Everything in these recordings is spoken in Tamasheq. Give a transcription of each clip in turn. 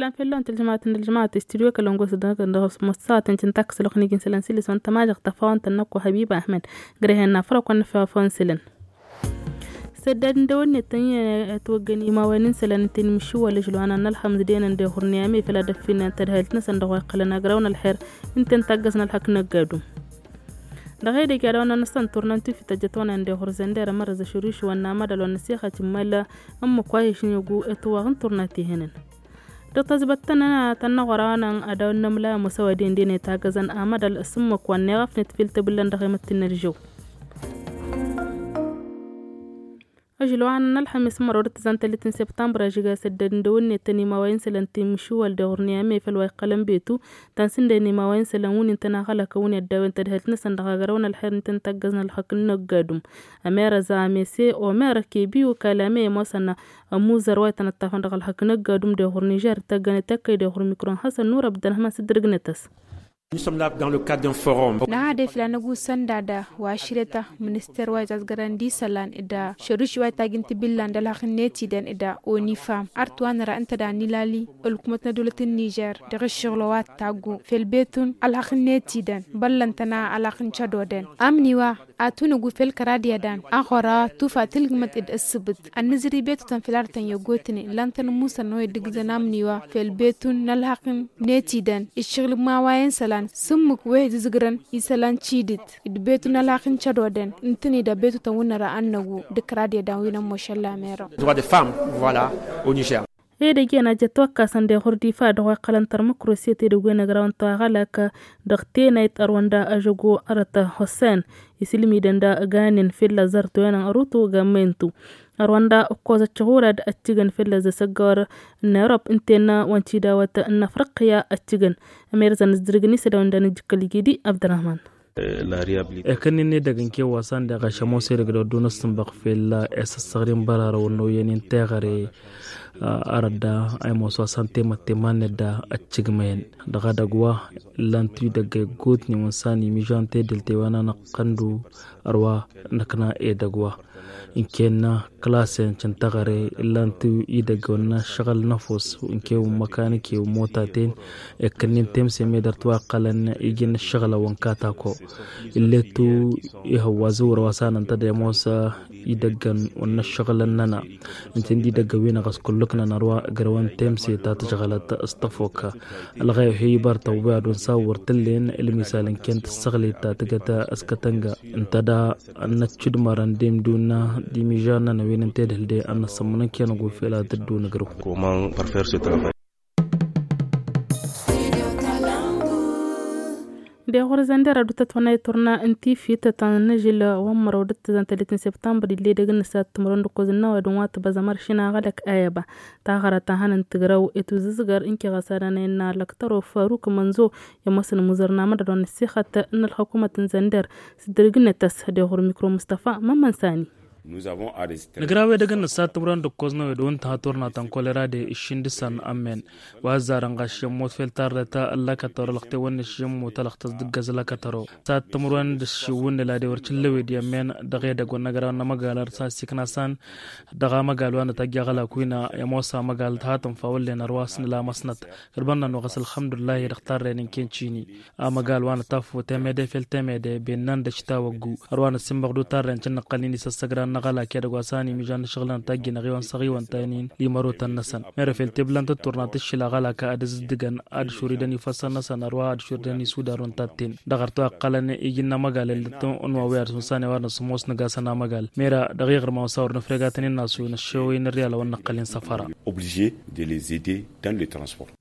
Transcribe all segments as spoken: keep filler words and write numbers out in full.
Ăltan fell-awăn tălžămaten d-ălžămat studyo kălăngos dăɣ-s măssaten cǝntak s-lăxnigin sălăn silis wăn tămažăɣ tăfawăn tănnăkku hăbiba ahmed. Grehen nafrăk wăn năfawăn sălăn. Săddad n-dăwănnet tănye ătwăggăn imawen n-sălăn n-tenimǝššiwăl ăžlăwăn anălxămz denăn d-ehurniyame făl ad-ăffinen tădhălt-năsăn dăɣ-wa iqqălăn agraw n-ălxer. N-ten taggăz n-ălxăk n-ăggadu. Dăɣ-edăgg i-ad-awăn-năsăn turna n-tufit ăjjăt-wăn-en d-ehur zănder ămărăz ašăruš wănna mădal wăn-năsixăt immăl ǝmmǝk wa išnǝgu ătwăɣ n-turna tihǝnăn. Dăɣ-tazbăttăn tănnăɣ wăr-awăn ad-dăwăn n-amla ămoos ăwadǝyăn dăɣ-net agăzăn amădal s-ǝmmǝk wa n-neɣăfnet fil tebǝllăn dăɣ-emăttin n-ălžăw. Ăžlăwăn n-ălxămis mărăw d-tǝzan tăllit n-septambra žǝga săddad n-dăwănnet tăn-imawayen sălăn timǝšuwăl d-eɣurniyame făl wa iqqălăn betu. Tansǝndăyăn imawayen sălăn wǝnnin tăn-aɣălăkăn wǝnnin ăddawăn tădhălt-năsăn dăɣ-agărăwăn ălxer n-tăn-tăggăz n-ălxăk n-năggadum. Ămerăza mese omer kebiyu kalame i-ămoosăn ămuzăr wa ităn-ăṭṭafăn dăɣ-ălxăk n-ăggadum d-eɣur nižer d-tăggănet ăkkăy d-eɣur mikro n-hasăn nurăb d-ănhămăn s-dd-ǝrgnăt-as. Năhadef la năgusăn dada wa ašreta minister wa izazgărăn d-isălan d-ašăruš wa itagin tibillan d-ălxăk n-etidăn d-onifam artwanăra ǝnta da nilali ălkumăt n-ădulăt n-nižer dăɣ-ašăɣlo wa t-taggu felbetun ălxăk n-etidăn băllăn-tăn ălxăk n-cădoden amniwa. Atunǝgu fel kăraḍiya dan aɣora tufa tǝlgǝmăt d-ǝssǝbǝt ănnǝzri betutăn fel artăn i-ogotnen lantăn musăn n-oy dd-ǝggǝzăn amniwa fel betun n-ălhaqn n-etidăn iššǝɣǝl n-imawayen isălan s-ǝmmǝk wa ihǝzǝzǝgrăn isălan cidǝt d-betun n-ălhaqn n-cădoden ǝntăne d-abetutăn wǝnnăra ănnăgu d-kăraḍiya dan wi n-ămmošăl lamerăn. Edăgg i-ănajăt wa ǝkkasăn deɣ hurdifa dăɣ-wa iqqălăn tărmǝkrosiyăt edăgg wen ăgraw n-taɣălak dăɣ-tenayt ărwănda ažăgo ărăt hosen isǝlmidăn da ăganen fella zărtoyăn ărutu gammentu. Ărwănda ǝkkoẓ ăccăɣurad ăccǝgăn fella zăsăggăwăr n-erop ǝnten wa n-tidawăt n-afriqya ăccǝgăn. Ămerăzăn s-dăr-gǝni s-ădawăn da n-ǝjjǝkkăl igidi abdărahman. Ekănnen edăgg n-kewwa s-anda ɣaš ămoos edăgg d-oddun ăssǝnbăɣ fella esăssăɣrin bărarăwăn n-oyyănen teɣăre. Arădda a imoos wa s-ăntemătte iman-net da ăccǝgmăyăn dăɣ-edăgg wa. Ǝllan-tu idăgg a iggutnen wa n-sani imižan tedǝlte wa n-anăqqăndu ărwa năkna edăgg wa. Ǝnken n-klasen cǝntăɣăre ǝllan-tu idăgg wa n-ašăɣǝl n-efos ǝnken wa n-măkanike wa n-motaten. Ekkănnen temse medăr-t wa ǝqqălăn iji n-ašăɣǝl a-wa n-katako. Illet-tu ihăwwa zǝwră wa s-anăn tădămoos idăggăn wa n-ašăɣǝl ănnăna. Ǝnta indi idăggăn wi n-aɣăs kullǝknăn ărwa ǝgrăwăn temse ta tǝžɣălăt s-tăfokka. Ălɣayo he-ibar tăwwi ad-wen s-awwăr tǝllen ǝlmisal ǝnken tǝssăɣlit ta tǝgăt s-kătănga. Ǝnta da ănnăccǝdmărăn d-imdunna d-imižannăn wi n-tedhǝlde ănnăsămmăn ǝnken ăgufel ad-tǝddun ǝgrǝw. Deɣ ɣur-zăn dera dutăt wănay turna n-tifit tăn-nǝžǝl wa n-mărăw d-tăzăn tăllit n-septambăr ill'-edăgg n-nǝsat timǝrwen d-ǝkkoẓ n-inăwadǝm wa tǝbăẓăm ăršin aɣălăk ayăba. Taɣăra ta hanăn-tǝgrăw i-tuzǝzgăr ǝnkeɣ a-s ad-anăyăn n-alăktăro faruk mănzo i-ămoosăn imuzărna mădădon n-ăssixăt n-ălxukumăt n-zănder. S-dd-ărgǝnăt-ăs deɣ ɣur-mikro mustăfa mămmăn sani. Nǝgraw edăgg n-nǝsat timǝrwen d-ǝkkoẓ n-ewed wa n-tǝha turna ta n-kolera de ǝššǝn dăɣ-săn ămmen. Wa ăzzarăn ɣas i-ămmut fel tarrăt ăllăkătăro lăxtewăn n-ašǝmmut ălăxtăs dăgg-ăzlăkătăro. Sat timǝrwen d-ašǝwwǝn n-ila de wăr cǝllăwed i-ămmen dăɣ-edăgg wa n-agraw n-amăgal ar s-asiknasan. Dăɣ-amăgal wa n-atăjja ăɣlak wi n-ămoos amăgal tăhatăn fawăllen ărwas n-lamăsnăt. Kăl-bănna n-oɣăs ălxămdullah i-dăɣ tarrăyăn n-ken cini. Amăgal wa n-ataffu temede fel temede bennan d-ašitawăggu. Ărwa n-ăssimbăɣdu tarrăyăn cǝnnăqqălnen isăssăgran n-aɣălak edăgg wa s-an imižan n-ašăɣǝl n-atăjjin aɣiwăn s-aɣiwăn taynin. Limăru tăn-năsăn mera fel teblan tătturna tǝššǝl aɣălak ad-ǝzǝddǝgăn ad-šuridăn ifăssăn-năsăn ărwa ad-šuridăn isudar wa n-tatten. Dăɣ-ărtu a ǝqqălăn iji n-amăgal ellăt n-wa wi ad-sunsan i-wa n-asǝmmos nǝgasăn amăgal mera dăɣ-iɣrǝm a-wa s-a wăr nǝfreg ad-tăn-in-nasu n-ăššewăy n-ărriyal a-wa n-năqqălin săfăra. Obligé de les aider dans le transport.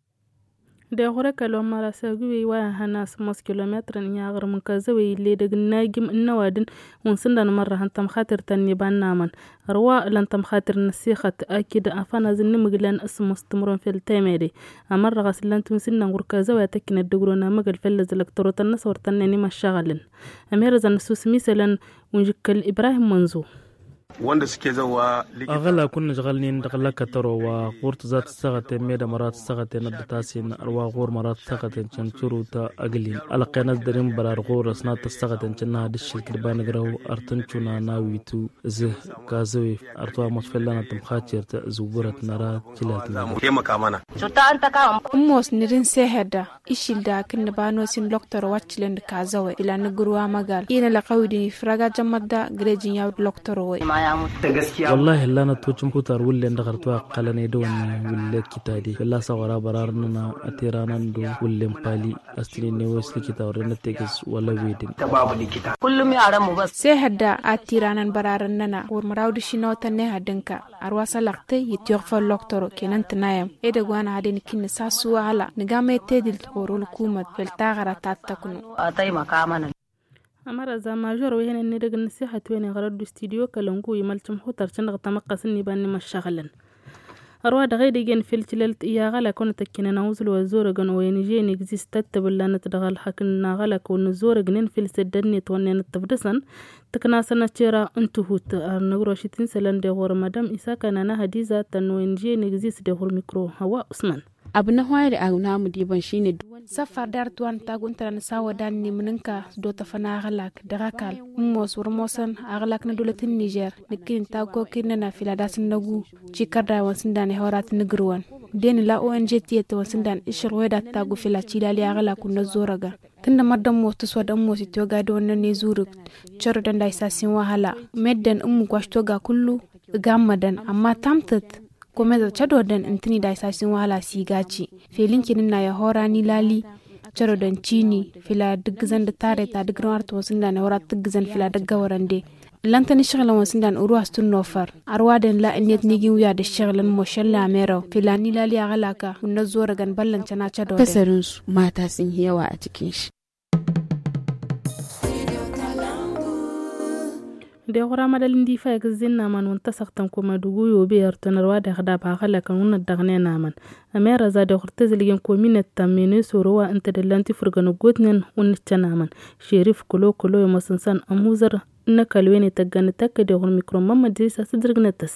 Deɣ ɣur-ekăl wa n-mărasăg wi wa ihăn asǝmmos kilometr n-iɣrǝm n-kăzăwăy ill'-edăgg n-ajǝm n-inăwadǝn. Wa n-sǝndan mărrăhăn tămxatir ta n-iba n-amăn ărwa lăn tămxatir n-ăssixăt akǝd afănăz n-imǝglăn asǝmmos timǝrwen fel temede. Amărrăɣ a-s ǝllan-t wi n-sǝnnan ɣur-kăzăwăy ad-tăkkinăt dăgg-ron amăgăl făll-ăzlăk tărot ănnăsăwăr tănnen imăššaɣălăn. Ămerăzăn n-ăssusǝm isălan. Wa n-žǝkkăl ibrahim mănzo. Wănda s-keza wa aɣălak wănnăžɣălnen dăɣ-lăkătăro wa ɣur-tǝzza tǝssăɣăten medăm ăra tǝssăɣăten ad-dd-tasin ărwa ɣur-măra tǝssăɣăten căncăru ta ăglin ălăqqen ad-dăr-inbăra ar ɣur-s n-ad-tǝssăɣăten cănna ad-ǝššǝlkǝd ba nǝgrăw. Ărtǝncuna n-awitu zǝh kazăwe ărtwa măsfăllan ad-tǝmxacer ta zǝwwărăt n-ăra. Tilat n-ămăna. Ǝmmos nǝdǝn sehăda išil da kǝnnǝba n-osin loktăro wa t-tilăn d-kazăwe fila n-ǝgrǝw amăgal i-nălăɣ a-wi dăɣ-ifrag ajămmăt da gre jǝnyaw d-loktăro-we. Wăllahi ǝllanăt tucǝm kutar wǝllen dăɣ-ărtwa ăqqălăn edăwăn wǝllen kitade fălla-s a wăr-abărarăn-năna ătiranăn d-wǝllen pali. Ăstǝn-in n-ewes lǝkita wăr-dănăt tegăs wăla wedǝn. Sehădda ad-tiranăn bărarăn-năna wăr măraw d-ašinăwătăn n-ehăd ǝnka ărwa s-ălăɣtăy ittiɣfăl loktăro kenăn tǝnayăm edăgg wa n-ahăden ikinna s-assu ahăla nǝgam i-tedǝlt ɣur-ălkumăt făll-taɣăra ta t-tăknu. Ămăra za mažor wa ihănen n-edăgg n-nǝsihăt-wen iɣrăd d-studyo kălăngu imălcăm hutăr cǝnnăɣ tamăqqas n-iba n-imăššăɣǝlăn. Ărwa dăɣ-edăgg-en făll-tilălt i-aɣălak wa n-tăkkinăn awǝzǝl wa ăzzorăgăn oynže n-egzis tăttăbǝllanăt dăɣ-ălxăk n-aɣălak wa n-ăzzorăgnen făll-săddădnet wa n-enăt tǝfdǝsăn tǝknasăn ăcera n-tihut. Ar năgrăw ašit n-isălan deɣ wăr mădăm isaka n-anăhădiza tăn-oynže n-egzis deɣ wăr mikro hăwa usman. Abnăhwayăd agnamǝd ibăn šinǝd. Săffar darăt wa n-taguntăra n-asawădan n-imǝnǝnka s-dotăfăn aɣălak dăɣ-ăkall ǝmmos wăr ămoosăn aɣălak n-ădulăt n-nižer. Nǝkkǝn-in tagg kokǝy-năna fila d-asǝnnăgu cikărda wa n-sǝndan ihăwărat n-ǝgrǝwăn. Den ǝla ong tiyyăt wa n-sǝndan ǝššăɣǝl wa i-dat-taggu fila tilali aɣălak wa n-ăzzorăgăn. Tǝndămăr d-ămoos tǝswăd ămoos itwăga dăwănnăn i-zurǝkt. Cărădăn d-a isasin wa hăla meddǝn ǝmmǝk wa š-toga kullu. Ǝgammădăn ămma tamtăt. Komeza cădodăn ǝntǝni d-a isasin wa hăla s-igaci fel ǝnken ǝnna i-ahora n-ilali. Cărodăn cini fila d-ǝggǝzăn d-tareta d-ǝgrǝwăn arăt wa n-sǝndan i-ahora t-ǝggǝzăn fila d-ăggăwărăn de. Ǝllăn-tăn ǝššăɣǝlăn wa n-sǝndan uru has-tǝnnofăr. Ărwadăn la ǝnniyăt n-iji n-wi ad-ǝššăɣǝlăn mošăl n-amerăw fila n-ilali aɣălaka wǝnnă ăzzorăgăn băllăn căna cădodăn. Tăsărǝnsu mata s-inhiyawa a tikǝnš. Deɣ ɣur-amădal n-difa i-kǝzzin n-aman wa n-tăsăɣtăn komadugu i-obe ărtăn ărwa deɣ dab aɣălakăn wa n-ăddăɣnen aman. Ămerăza deɣ ɣur-tezǝlgen kominăt ta menesoro wa ǝnta d-ǝllan tifǝrgăn ăggootnen wa n-ǝccăn aman. Šerif kălo-kălo i-măsǝnsan ămuzăr n-ăkall wen ităggăn d-tăkk deɣ ɣur-mikro n-mămmăd zisa s-ǝddǝrǝgnăt-tăs.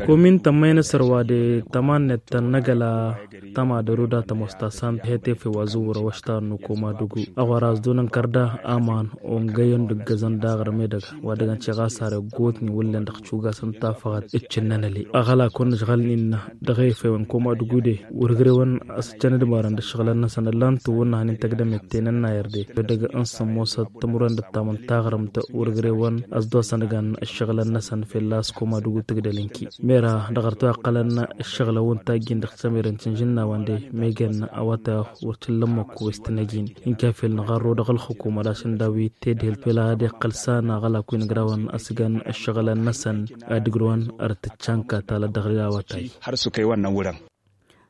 Komin tămmăynăsăr wa de tămannet tăn-năgăla tămadăru da tămosta sant hetef i-wa zǝwwărăw ăštarăn n-komadugu. Ăɣora ăzdunăn kărda aman ongăyăn d-ǝggăzăn daɣ ărmedăg wa dăgg-ănciɣasar i-ăggootnen wǝllen dăɣ-cugasăn tafăɣăt. Ǝccǝnnăn ăle aɣălak wa n-ǝžɣălnen dăɣ-efe wa n-komadugu de wăr ǝgrewăn a-s ǝccăn d-imarăn d-ǝššăɣǝlăn-năsăn ǝllan-t wăr nǝhăn intăgg d-ămette n-ănnayăr de. Dăgg-ănsămmosăt tămurăn d-ăttamăn taɣrǝmt wăr ǝgrewăn a-s dd-osăn ǝgan ǝššăɣǝlăn-năsăn fălla-s komadugu tǝgdăl ǝnki. Mera dăɣ-ărtăw a ǝqqălăn ǝššăɣǝlăn wa n-tajjin dăɣ-tămerăn tǝnžǝnna wa n-de megan awăta wăr t-illa ămmăkku wa s-tăn-ăjin. Ǝnka fel nǝɣărro dăɣ-ălxukuma d-ašǝnda wi tedhǝlt făl ad-iqqăl s-ana aɣălak wi n-ǝgrawăn a-s ǝgan ǝššăɣǝlăn-năsăn ad-ǝgrǝwăn. Ărtǝccanka talăt dăɣ-ri awătay. Har s-okăy wa n-awǝrăn.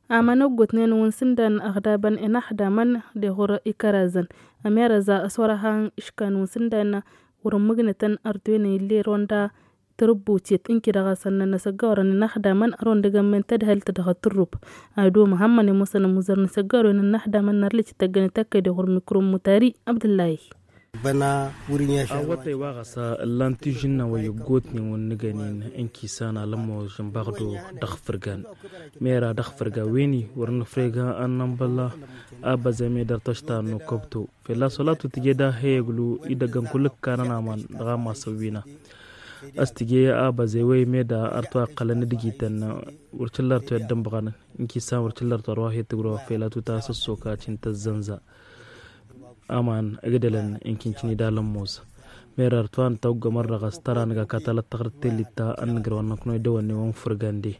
Aman ăggootnen wa n-sǝndan ăɣdabăn inaxdamăn deɣ wăr-ikărazăn. Ămerăza ăswărăhan iškan wa n-sǝndan wăr-ǝmmǝgnătăn ărtwen illeron da tărǝbbutiyăt ǝnki-dăɣ a sănnăn asăggawărăn inaxdamăn ărwăn dăgg-ămmen tadhălt dăɣ-tǝrrub. Ado măhămmăn i-mosăn ămuzăr n-asăggawărăn inaxdamăn n-arlăc ităggăn ităkkăy deɣ wăr mikrum mutari abdǝllahi. Awătay wa ɣas ǝllan tižǝnna wa i-ăggootnen wa n-nǝgănen ǝnki s-ana lămmožăn baɣdo dăɣ-fǝrgan. Mera dăɣ-fǝrga wen-i wăr nǝfreg a n-nănbălla. Abăzem i-dăr-tăšta n-nukăbto fălla-s wăla tutǝje d-ahăyăglu idăggăn kull-ǝkkanăn aman dăɣ-amasăn wina. A-s tǝje abăze wa i-meda ărtwa ǝqqălăn d-igităn. Wăr cǝllărto i-ăddămbăɣăn ǝnki s-an wăr cǝllărto ărwa he-tǝgro fălla tuta a-s ăssokacin tăzzănza. Aman ǝgdălăn ǝnki n-cǝnida lămmos. Mera ărtwa n-tawăggămăr dăɣ-s tăra nǝga katalăt taɣrǝt tellit ta ănnǝgrăwăn năknăw idăwănne wa n-fǝrgan de.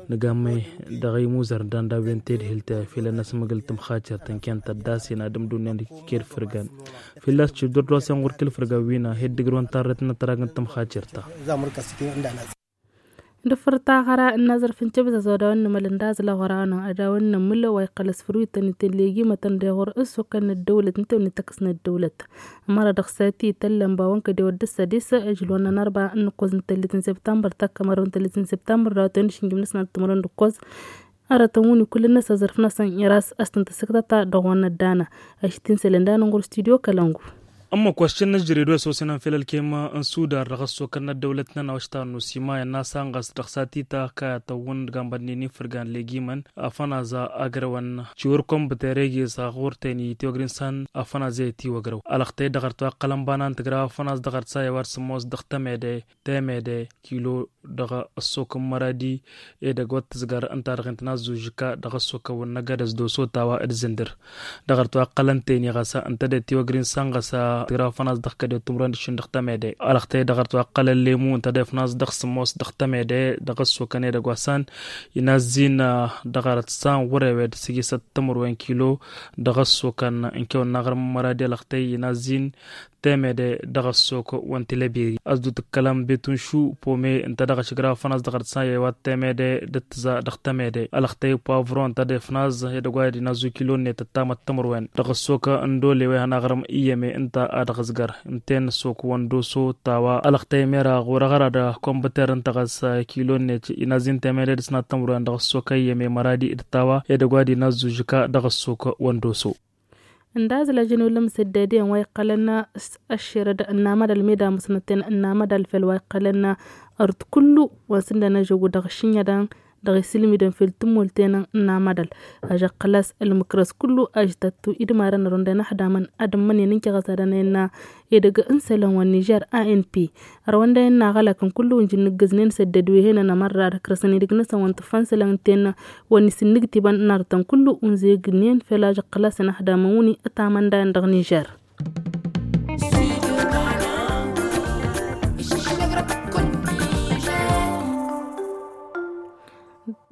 Nǝgammăy dăɣ-imuzăr danda wen tedhǝlt făll-ănnăsmăgǝl tǝmxacărt ǝnken tăddasen ad-ǝmdǝwnen d-ked fǝrgan. Fălla-s cǝddur d-wa s-inɣur kǝl-fǝrgan wina heddǝgrǝwăn tarret n-ătrag n-tǝmxacărt-ta. Dăɣ-făr taɣăra n-azrǝf n-tibzăz wa dawăn nǝmăl ǝndazǝl aɣăra-năɣ ad-dawăn nǝmǝl wa iqqăl s-fărwităn itellegi mătăn deɣ wăr ǝssukăn n-ăddăwlăt n-tewnet tăkks n-ăddăwlăt. Ămăra dăɣ-sati ităllăn bawăn kădew ăddăs sădis ăžlon n-anărba n-ǝkkoẓ n-tăllit n-sibtambăr takkămărăw n-tăllit n-sibtambăr dawăt-wen d-išǝnjǝm n-asnat timărăn d-ǝkkoẓ. Arătăn wǝnni kull-năs azrǝf-năsăn iras a-s tăn-tăssǝktăta dăɣ-wăn ăddană. Ašit-in sălăn danăn ɣur-studyo kălăngu. Ămmăk wa s-cǝnnăjrăy d-wa s-osănăn fel ălkem n-sudar dăɣ-ăssokăn n-ăddăwlăt-nănăɣ wa s-ta n-nusima innă a-s anɣas dăɣ-s a t-ita kayătăwwăn d-gambădnen ifǝrgan legimăn. Afănază agrăwăn ciwăr kămbăter egez a ɣur-ten i-tiwăgrin s-an afănază i-tiwăgrăw alăɣtăy dăɣ-ărtwa ăqqălăn banan tǝgra afănază dăɣ-ărtsa i-wa d-sămmos dăɣ-temede temede kilo dăɣ-ăssok n-măradi. Edăgg wa t-tǝzgăr ǝnta-dăɣ intănazzu žǝka dăɣ-ăssok ăwwăn n-agădăs d-oso tawa d-zǝndǝr dăɣ-ărtwa ăqqălăn teni ɣas ǝnta d-tiwăgrin s-anɣas tǝgra afănază dăɣ-kăde timrăn d-šin dăɣ-temede alăɣtăy dăɣ-ărtwa ăqqălăn lemu ǝnta d-efănază dăɣ-sămmos dăɣ-temede dăɣ-ăssok ănedăgg wa s-an inazzi n-dăɣ-arăt s-an wăr-ewed s-ijisăt timǝrwen kilo dăɣ-ăssok n-kewăn n-aɣrǝm n-măradi alăɣtăy inazzi n-temede dăɣ-ăssok wa n-tilăbiri ăzdu tǝkkălăm betunšu pome ǝnta dăɣ-ašǝgra afănază dăɣ-arăt s-an i-wa temede d-ǝttǝza dăɣ-temede alăɣtăy poavro ǝnta d-efănază edăgg wa d-inazzu kilo-net ăttamăt timǝrwen dăɣ-ăssok n-dole wa ihăn aɣrǝm iyyăme ǝnta a dăɣ-ǝzgăr ǝnta-en ăssok wa n-doso tawa alăɣtăy mera ɣur-aɣăra d-kămbăter ǝnta ɣas kilo-net inazzi n-temede d-ǝsnat timǝrwen dăɣ-ăssok iyyăme măradi d-tawa edăgg wa d-inazzu žǝka dăɣ-ăssok wa n-doso. Ǝndazǝl ajăn wăla mǝsăddădiyăn wa iqqălăn ăššerăd n-amădal meda mǝsnăten n-amădal fel wa iqqălăn ărḍ kullu wa n-sǝndăn ažăggu dăɣ-ašǝnjădăn dăɣ-isǝlmidăn fel tǝmmolten n-amădal. Ažăqqălas ălmǝkrăs kullu ažtăttu idmarăn ărwăndăn ăxdamăn ad-ǝmmǝnen n-kăɣăsadăn a innă edăgg n-isălan wa n-nižer a n p ărwăndăn innă aɣălakăn kullu ǝnjǝn nǝggǝznen săddăd wi henăn ămărrad ǝkrăsăn idǝg-năsăn wa n-tǝffăn isălan ǝnta innă wa n-isǝnnǝgtibăn n-artăn kullu unzegnen fel ažăqqălasăn ăxdamăn wǝni ătamăndayăn dăɣ-nižer.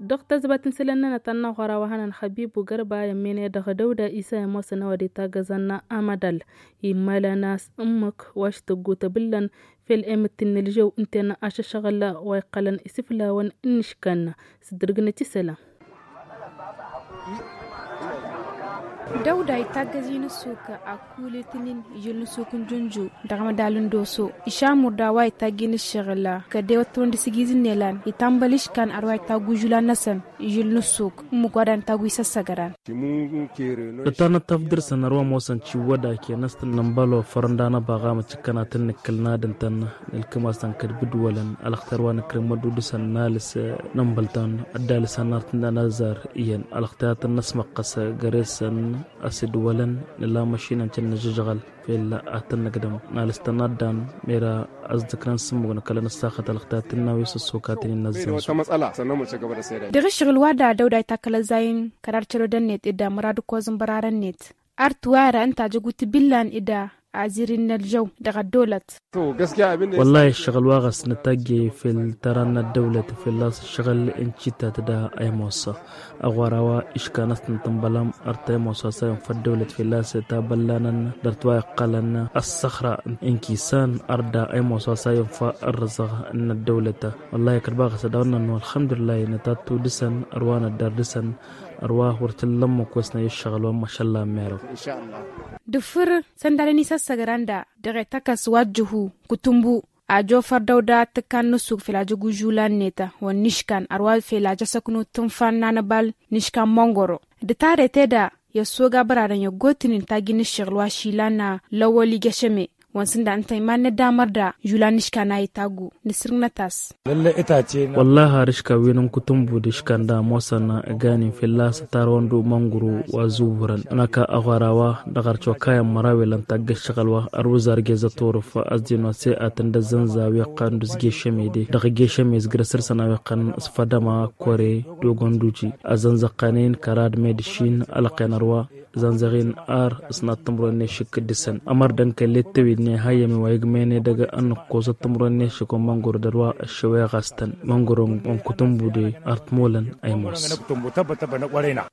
Dăɣ-tăzbat n-isălan-nănăɣ ta n-aɣora wa hănăn xăbibu gărba i-ămmen i-dăɣ dăwda isa i-ămoosăn a-wa d-itaggăzăn amădal immalăn a-s ǝmmǝk wa s-tăggu tăbǝllăn fel emǝttin n-ălžăw ǝnta-en ašăšăɣǝl wa iqqălăn isǝflawăn n-iškăn s-dd-ǝrgǝnăt isălan. Dăwda itaggăz-in ǝssuk akul itǝnin ižǝl n-ǝssuk n-junju dăɣ-amădal n-doso išamur d-a-wa itagg-in ǝššăɣǝl kădewăt tawăn d-asǝgizǝn n-elan itambăl iškan ar wa itagg užulan-năsăn ižǝl n-ǝssuk ǝmmǝk wa dăɣ-nǝtagg wi s-ăssăgăran. Tătanăt tafdăr-săn ărwa ămoosăn ciwwăda ken ăstănnăn bălofăr ǝnda n-ăbaɣam ăcǝkkăn ad-tăn-nǝkkǝl n-ad-ǝntăn nǝlkǝm-asăn kăd-bǝdwălăn alăxter wa nǝkrǝmmăd udǝsăn n-alǝs nămbăl-tăn ăddalǝs annar tǝndan ăzzar iyyăn alăxter ad-tăn-năsmăqqăs găre-săn. Ăsidwălăn nǝla măšinăn cǝnnăžžăžɣăl fel ad-tăn-nǝgdăm nalǝs-tăn ad-dan mera ăzdǝknăn s-ǝmmǝg nǝkălăn ăssaxăt alăxter ad-tǝnna wi s-ăssokatăn innă ăzzănzăw. Dăɣ-ǝššăɣǝl wa da dăwda itakkăl ăzzayăn kărar călodăn-net ed amărad ǝkkoẓ n-bărarăn-net. Ar tǝwayăra ǝnta ajăggu tǝbillan ed azir-in n-ălžăw dăɣ-ăddolăt. Wăllah ǝššăɣǝl wa ɣas nǝtajjăy fel tăra n-ăddăwlăt fălla-s ǝššăɣǝl n-cittat da ăymosa. Ăɣora wa iškan ăstăn tǝnbălam ărt ăymosa s-ayǝnfa ăddăwlăt fălla-s tabăllanăn dăr-t wa iqqălăn ăssăxra n-kisan ărt da ăymosa s-ayǝnfa ărrǝzăɣ n-ăddăwlăt. Wăllah ikăt ba ɣas ad-dăɣ-nănnu ălxămdullah nǝtattu dăr-săn ărwa năddar dăr-săn. Ărwa wăr t-illa ǝmmǝk wa s-năyy ǝššăɣǝl wa n-mašalla n-merăw. Dăɣ-făr săndalăn isăssăgranda dăɣ-e tăkăs wa ăjjǝhu kutǝmbu. Ajo făr dăw-da tǝkkan n-ǝssuk fel ajăg užulan-net wa n-iškan ărwa fel ajăsăknu tǝnfa n-anăbal n-iškan măngoro. D-tare tedă i-ăssoga bărarăn i-ăggootnen tagin ǝššăɣǝl wa šilan n-lăwwăl igešăme wa n-sǝnda ǝnta iman n-ăddamăr da žulan n-iškan a itaggu. Nǝsrǝgnăt-as. Wăllah har iškan wi n-ǝnkutǝmbu d-iškan da ămoosăn ăganin fălla-s ătarwăn d-umănguru wa zǝwwǝrăn ănaka ăɣora wa dăɣ-arăt wa kayăn măraw ilăn taggăt šăɣǝl wa ărwǝzar gez ăturǝf ăzdin wa s-e atǝn d-ăzzănza wi ăqqan d-uzgešăme de dăɣ-gešăme s-gărăsăr săn a wi ăqqan s-fădăma kore d-ogănduji ăzzănzăqqănen kărad med-ǝššin ălăqqen ărwa. Zănzăɣ-in ar ǝsnat tǝmrăwen n-ešǝk dăr-săn ămăr dănkăl ettăwidne hayyăm i-wa igmăyăn edăgg ănnăkkoẓăt tǝmrăwen n-ešǝk wa n-măngor d-ărwa ăššăweɣ a-s tăn măngorăn wa n-kutǝmbude. Ar t-molăn ăymos.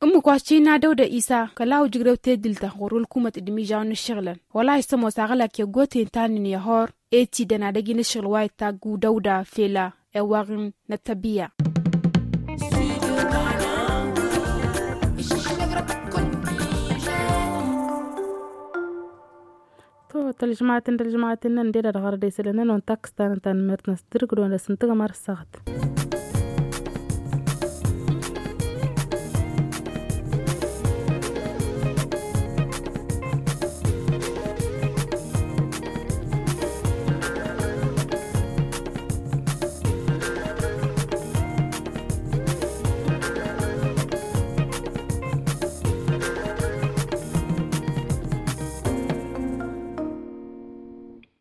Ǝmmǝk wa s-cina dăw-da isa kăla ujǝgrew tedǝlt-a ɣur-wălkumăt d-imižawăn n-ǝššăɣǝlăn wăla isămoos aɣlak i-ăggoten ta n-inǝya hor. Etidăn ad-ăj inǝššăɣǝl wa itagg dăw-da fela ewaɣ n-ăttăbbiya. To tălžmaten dălžmaten n-ănded ad-ɣărăd isălăn n-ănwăn takkǝstanăn tanmert n-asdărg d-wăn dăr-s n-tǝgmăr s-săɣt.